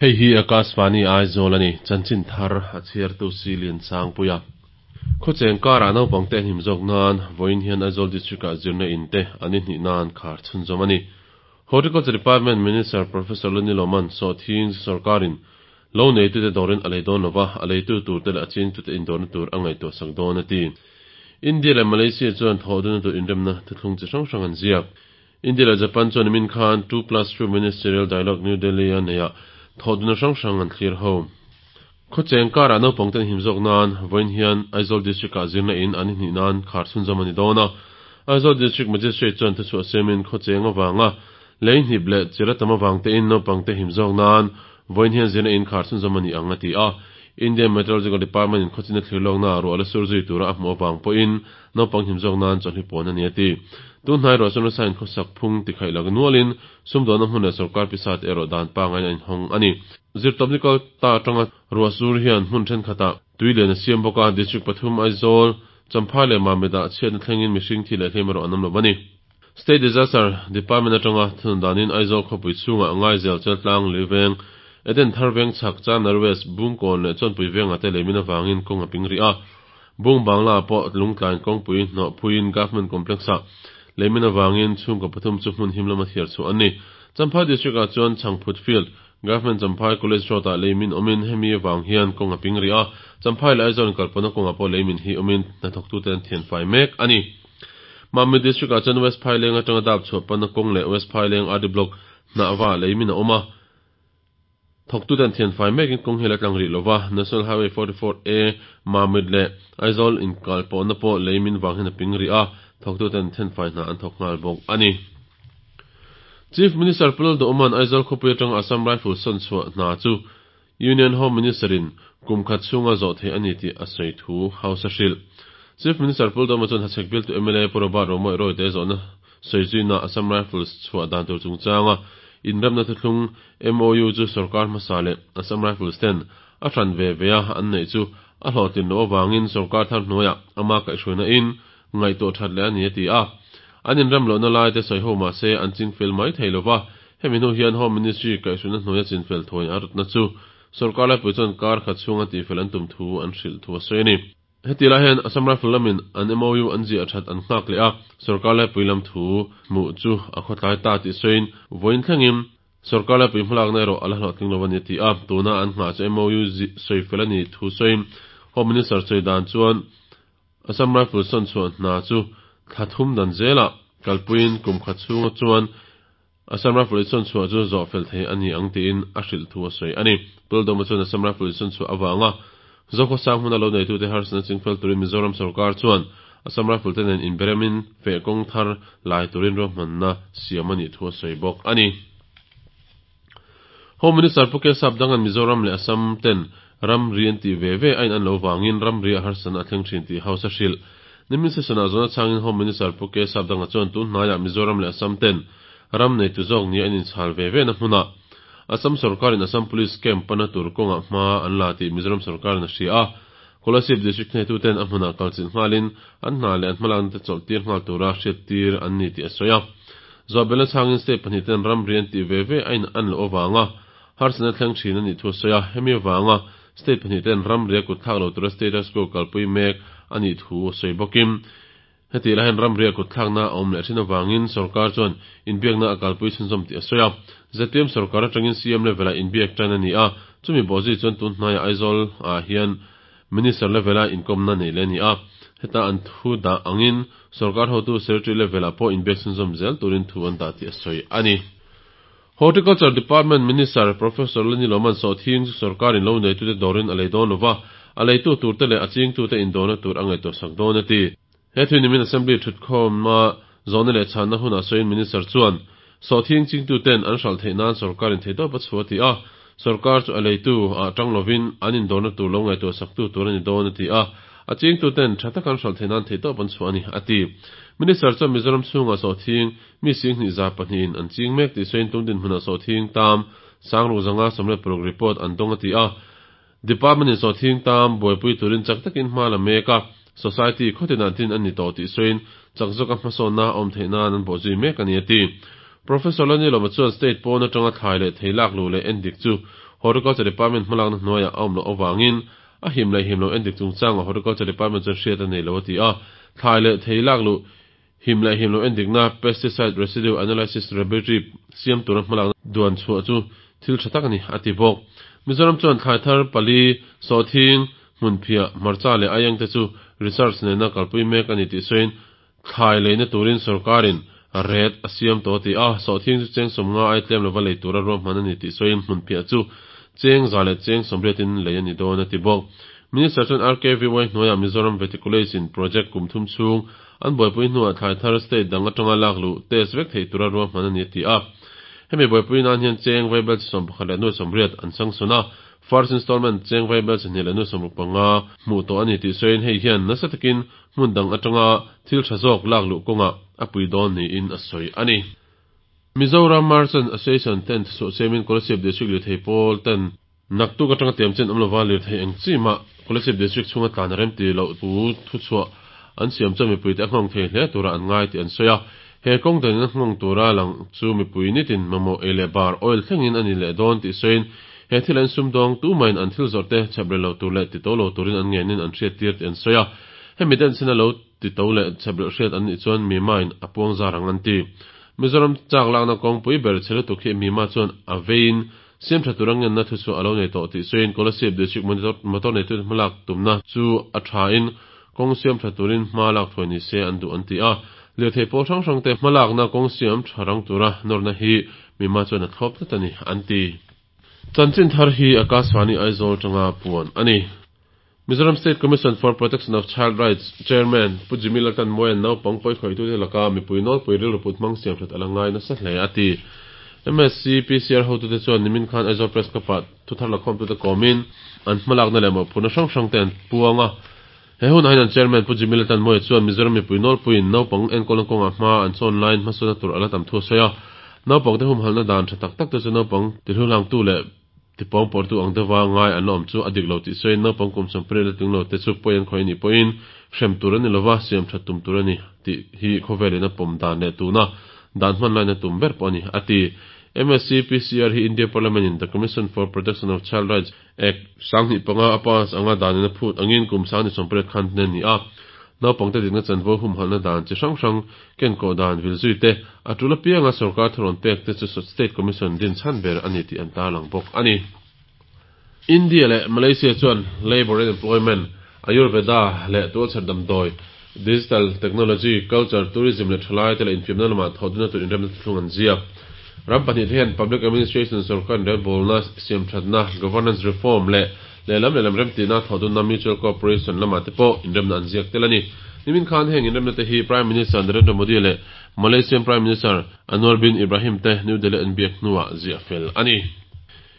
Hei hi Akashvani Aizawl a ni, chanchin thar a chhiartu si Liansangpuia. Khawcheng karah naupangte an him zawk nan vawiin hian Aizawl District-ah zirna in te an inhnih nan khar chhunzawm a ni. Horticulture Department Minister Professor Lani Loman sawhthing sorkarin lo neitute dawrin a lei dawn lova, a leitu turte leh a chingtute indawrna tur a ngaihtuah sak dawn a ti. India leh Malaysia chuan thawhdunna tur inremna thuthlung chi hrang hrang an ziak. India leh Japan chuan nimin khan 2+2 Ministerial Dialogue New Delhi-a neihah thawhdunna hrang hrang an thlir ho. Khawcheng karah naupangte an him zawk nan vawiin hian Aizawl District-ah zirna in an inhnih nan khar chhunzawm a ni dawn a. Aizawl District Magistrate chuan thuchhuah siamin khawcheng avanga lei hnip leh chira tam avang tein naupangte him zawk nan vawiin hian zirna in khar chhunzawm a ni ang a ti a. Indian Meteorological Department in khawchina thlir lawknaah ruah la sur zui tura a hmuh avang pawhin naupang him zawk nan chawlhni pawn a ni a ti. Tun hnai ruah chuan nasa in khawsak phung tikhaih lak nualin sumdawnna hmun leh sorkar pisa te erawh dan pangain a inhawng a ni. Zirtawpni kal ta atanga ruah sur hian hmun thenkhatah tui lian a siam bawk a, District pathum Aizawl, Champhai leh Mamit-ah chhiatna thlengin mihring thi leh hliam erawh an awm lo a ni. State Disaster Department atanga thunun danin Aizawl khawpui chhungah Ngaizel, Cheltlang, Lirveng, Eden Thar Veng chhak, Chanar West, Bungkawn leh Chawnpui vengah te leimin avangin kawng a ping rih a. Bung Bangla ah pawh Lungtlain kawngpui hnawh phuiin Government Complex-ah leimin avangin chhungkaw pathum chu hmun him lama thiar chhuah an ni. Champhai District-ah chuan Chhangphut Field, Government Champhai College Road-ah leimin awmin hemi avang hian kawng a ping rih a, Champhai leh Aizawl inkalpawhna kawngah pawh leimin hi awmin hnathawktute an thianfai mek a ni. Mamit District-ah chuan West Phaileng atanga dap chhuah panna kawng leh West Phaileng RD Block hnahva leimin a awm a, Thawktute an thianfai mekin kawng hi a la tlang rih lova, National Highway 44 A, Mamit leh Aizawl inkalpawhna pawh lei min vang hian a ping rih a, thawktute an thianfai hna an thawk nghal bawk a ni. Chief Minister Pu Lalduhawma'n Aizawl khawpui atanga Assam Rifles sawn chhuah hna chu Union Home Minister-in kum khat chhunga zawh theih a ni tih a sawi thu House a hrilh. Chief Minister Pu Lalduhawma chuan Hachhek bialtu mla Pu Robert Romawih Royte zawhna Sawizuina Assam Rifles chhuah dan tur chungchanga inremna thuthlung MOU chu sorkar hmasa leh Assam Rifles ten a hran ve ve a an neih chu a hlawhtlin loh avangin sorkar thar hnuaiah ama kaihhruaina in ngaihtuah that leh a ni a ti a. An inrem lohna lai te sawi ho mah se an chingfel mai thei lova, hemi hnu hian Home Ministry kaihhruaina hnuaia chinfel thuain a rawtna chu sorkar laipui chuan kar khat chhunga tihfel an tum thu an hrilh thu a sawi a ni. Heti lai hian Assam Rifle lamin an MOU an ziah that an nghak leh a, sorkar laipui lam thu hmuh chu a khawtlai ta tih sawiin vawiin thlengin sorkar laipui hmalakna erawh a la hlawhtling lo a ni a ti a, tuna an nghah chu MOU sawi fel a ni thu sawiin Home Minister sawi dan chuan Assam Rifle sawn chhuah hna chu thla thum dan zelah kalpuiin kum khat chhunga chuan Assam Rifle i sawn chhuah chu zawh fel thei a ni ang tiin a hrilh thu a sawi a ni. Puldawma chuan Assam Rifle i sawn chhuah avanga Zokhawsang hmuna lo neitute harsatna chingfel turin Mizoram sorkar chuan Assam Rifle te nen inberemin feh kawng thar lai turin ruahmanna siam a nih thu a sawi bawk a ni. Home Minister Pu Kesap Dangan Mizoram leh Assam ten ramri an tih ve ve a in an lo vangin ramri a harsatna a thleng thin tih House a hrilh. Nimin session-ah zawhna chhangin Home Minister Pu Kesap Danga chuan tun hnaiah Mizoram leh Assam ten ram neitu zawk nia an inchhal ve ve na hmunah Assam sorkarin Assam Police camp pana tur kawngah hma an la tih Mizoram sorkarin a hria a. Kolasib District hneituten a hmunah kalchilh nghalin an hna leh an hmalakna te chawlh tir nghal tura hriattir an ni tih a sawi a. Zawhbelna chhangin state pahnihten ramri an tih ve ve a in an loh avanga harsatna thleng thin a nih thu a sawi a. Hemi avanga state pahnihten ramri a kut thlak lo tura status quo kalpui mek a nih thu a sawi bawkin Hetih lai hian ramri a kutthlakna a awm leh thin avangin sorkar chuan inbiakna a kalpui chhunzawm tih a sawi a. ZPM sorkar atangin CM level-ah inbiak tan a ni a, chumi bawhzui chuan tun hnaiah Aizawl ah hian Minister level-a inkawmna neih leh a ni a. Heta an thu dah angin sorkar hotu Secretary level-ah pawh inbiak chhunzawm zel turin thu an dah tih a sawi a ni. Horticulture Department Minister Professor Lani Loman sawhthing chu sorkarin lo neitute dawrin a lei dawn lova, a leitu turte leh a chingtute indawrna tur a ngaihtuah sak dawn a ti. He thil nimin Assembly thutkhawma zawhna leh chhanna hunah sawiin Minister chuan, Sawhthing chingtuten an hralh theih nan sorkarin theihtawp a chhuah a ti a, sorkar chu a leitu ah tang lovin an indawrna tur lo ngaihtuah saktu tur a ni dawn a ti a, a chingtuten tha taka an hralh theih nan theihtawp an chhuah a ni, a ti. Minister chuan Mizoram chhungah sawhthing Mi singhnih za pahnihin an ching mek tih sawiin tum dinhmunah sawhthing tam Sangruk zanga 16 report an dawng a ti a. Department in sawhthing tam buaipui turin chak takin hma la mek a, society khawtinah din a ni tawh tih sawiin chak zawka hmasawnna a awm theih nan an bawhzui mek a ni a ti. Professor Lanilawma chuan state pawn atanga thlai leh thei lak luh leh endik chu Horticulture Department hmalakna hnuaiah a awm loh avangin a him leh him loh endik chungchangah Horticulture Department chuan hriat a nei lo a ti a. Thlai leh thei lak luh him leh him loh endikna Pesticide Residue Analysis Laboratory siam tura hmalakna duan chhuah chu thil tha tak a ni, a ti bawk. Mizoram chuan thlai thar pali, sawhthing, hmunphiah, hmarcha leh aieng te chu research nena kalpui mek a ni tih sawiin thlai leina turin sorkarin rate a siam tawh a ti a, sawhthing chu cheng 50 ai tlem lova lei tura ruahman a ni tih sawiin hmunphiah chu cheng 100 leh cheng 80 in lei a ni dawn a ti bawk. Minister chuan RKVY hnuaiah Mizoram Veticulation in project kum thum chhung an buaipui hnuah thlai thar state dang atanga lak luh test vek theih tura ruahman a ni a ti a. Hemi buaipui nan hian cheng vaibel chi 11 leh nuai 80 an sangsawn a, first installment cheng vaibel chi hnih leh nuai 65 hmuh tawh a ni tih sawiin hei hian nasa takin hmun dang atanga thil tha zawk lak luh kawngah a pui dawn niin a sawi a ni. Mizoram Merchant Association ten thuchhuah siamin Kolasib District lirthei pawl ten naktuk atanga tiam chen awm lova lirthei eng chi mah Kolasib District chhunga tlan a rem ti loh thu thuchhuah an siam chuan mipuite a nghawng thei hle tura an ngai tih an sawi a. He kawng danin a nghawng tura lang chu mipui nitin mamawh ei leh bar oil thlengin a ni leh dawn tih sawiin he thil an sumdawng tumahin an thil zawrh te chhep rel lo tur leh ti to lo turin an ngenin an hriattir tih an sawi a. Hemi den chhin a lo ti to leh chhep rel hriat an nih chuan Mima in a puang zar ang an ti. Mizoram chak lakna kawngpui ber chhe lutuk hi Mima chuan a veiin siam tha tur a ngenna thuchhuah a lo nei tawh tih sawiin Kolasib District Motor neitute hmalak tumna chu a tha in kawng siam tha turin hma lak thuai ni se an duh an ti a. Lirthei pawl hrang hrang te hmalakna kawng siam tha rang tura nawrna hi Mima chuan a thlawp tlat a ni an ti. Chanchin thar hi Akashvani Aizawl atanga puan a ni. Mizoram State Commission for Protection of Child Rights Chairman Pu Jimmy Laltanmawia'n naupang pawikhawitute laka mipui nawlpui rilru put hmang siam hret a la ngai nasa hle a ti. MSC PCR hotute chuan nimin khan Aizawl Press Club-ah thuthar lakhawmtute kawmin an hmalakna leh mawhphurhna hrang hrangte an puang a. He hunah hian an Chairman Pu Jimmy Laltanmawia chuan Mizoram mipui nawlpuiin naupang enkawlna kawngah hma an chawn laiin hmasawnna tur a la tam thu a sawi a. Naupangte humhalhna dan tha tak takte chu naupang tihluhlangtu leh Tipawng pawrtu ang deuha ngai an la awm chu a dik lo tih sawiin naupang kum 80 la tling lo te chu pawi an khawih anih pawhin hrem tur a ni lova, siam that tum tur a ni tih hi khawvelin a pawm dan leh tuna dan hman laina tum ber pawh a ni, a ti. MSC PCR hi India Parliament in The Commission for Protection of Child Rights Act, 2005 a pass anga danin a phut angin kum 2018 khan hnen a ni a. Naupangte dikna chanvo humhalhna dan chi hrang hrang kenkawh dan vil zui te, a tul apianga sorkar thurawn pek te chu State Commission din chhan ber a ni tih an tarlang bawk a ni. India leh Malaysia chuan Labour and Employment, Ayurveda leh tualchher damdawi, Digital Technology, Culture, Tourism leh thalaite leh infiamna lamah thawhdunna tur inremna thuthlung an ziak. Ram pahnihte hian Public Administration sorkar inrelbawlna siamthatna, Governance Reform, leh Lehlam lehlam remtihna thawhdunna Mutual Cooperation lamah te pawh inremna an ziak tel a ni. Nimin khan heng inremna te hi Prime Minister Narendra Modi leh Malaysian Prime Minister Anwar bin Ibrahim te New Delhi an biak hnuah ziah fel a ni.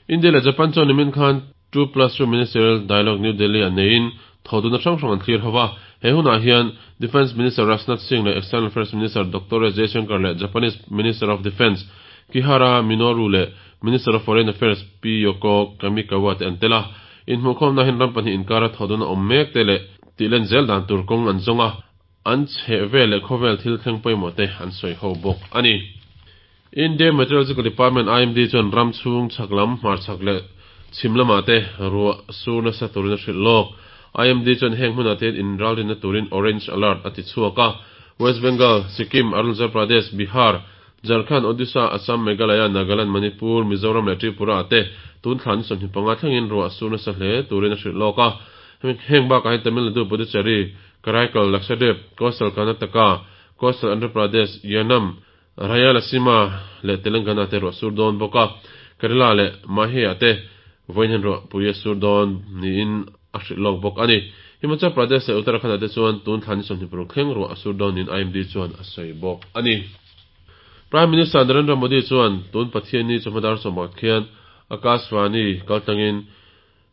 India leh Japan chuan nimin khan 2+2 Ministerial Dialogue New Delhi ah neiin thawhdunna hrang hrang an thlir ho va. He hunah hian Defence Minister Rajnath Singh leh External Affairs Minister Doctor S Jaishankar leh Japanese Minister of Defence Kihara Minoru leh Minister of Foreign Affairs Pi Yoko Kamikawa te an tel a, inhmuhkhawmna hian ram pahnih inkara thawhdun a awm mek te leh tihlen zel dan tur kawng an zawng a, an chheh vel leh khawvel thil thleng pawimawh te an sawi ho bawk a ni. India Meteorological Department, IMD, chuan ram chhung chhak lam, hmarchhak leh chhim lamah te ruah sur nasa turin a hrilh lawk. IMD chuan heng hmunah te hian inralrinna turin Orange Alert a ti chhuak a, West Bengal, Sikkim, Arunachal Pradesh, Bihar, Jharkhand, Odisha, Assam, Meghalaya, Nagaland, Manipur, Mizoram leh Tripura ah te tun thla ni 25 thlengin ruah a sur nasa hle turin a hrilh lawk a. Heng bakah hian Tamil Nadu, Puducherry, Karaikal, Lakshadweep, Coastal Karnataka, Coastal Andhra Pradesh, Yanam, Rayalaseema leh Telangana te ruah a sur dawn bawk a. Kerala leh Mahe ah te vawiin hian ruah pui a sur dawn niin a hrilh lawk bawk a ni. Himachal Pradesh leh Uttarakhand ah te chuan tun thla ni 26 thleng ruah a sur dawn niin IMD chuan a sawi bawk a ni. Prime Minister Narendra Modi chuan tun Pathianni chawhma dar 11 khian Akashvani kaltlangin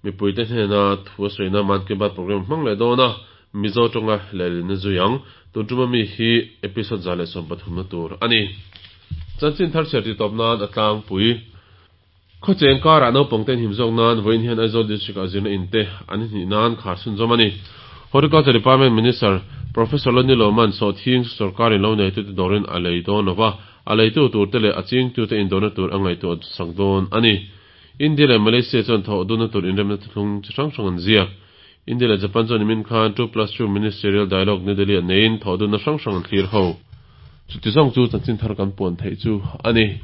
mipuite hnena thu a sawina Mann Ki Baat programme hmang leh dawn a, Mizo tawnga lehlinna zui ang. Tun tuma mi hi episode 113 na tur a ni. Chanchin thar chhiar tih tawp nan a tlangpui. Khawcheng karah naupangte an him zawk nan vawiin hian Aizawl District-ah zirna in te an hnih nan khar chhunzawm a ni. Horticulture Department Minister Professor Lonnie Lawman sawhthing chu sorkarin lo neitute dawrin a lei dawn lova, a leitu turte leh a chingtute indawrna tur a ngaihtuah sak dawn a ni. India leh Malaysia chuan thawh dunna tur inremna thuthlung chi hrang hrang an ziak. India leh Japan chuan nimin khan 2+2 Ministerial Dialogue New Delhi-ah neiin thawh dunna hrang hrang an thlir ho. Chuti zawng chu chanchin thar kan puan theih chu a ni.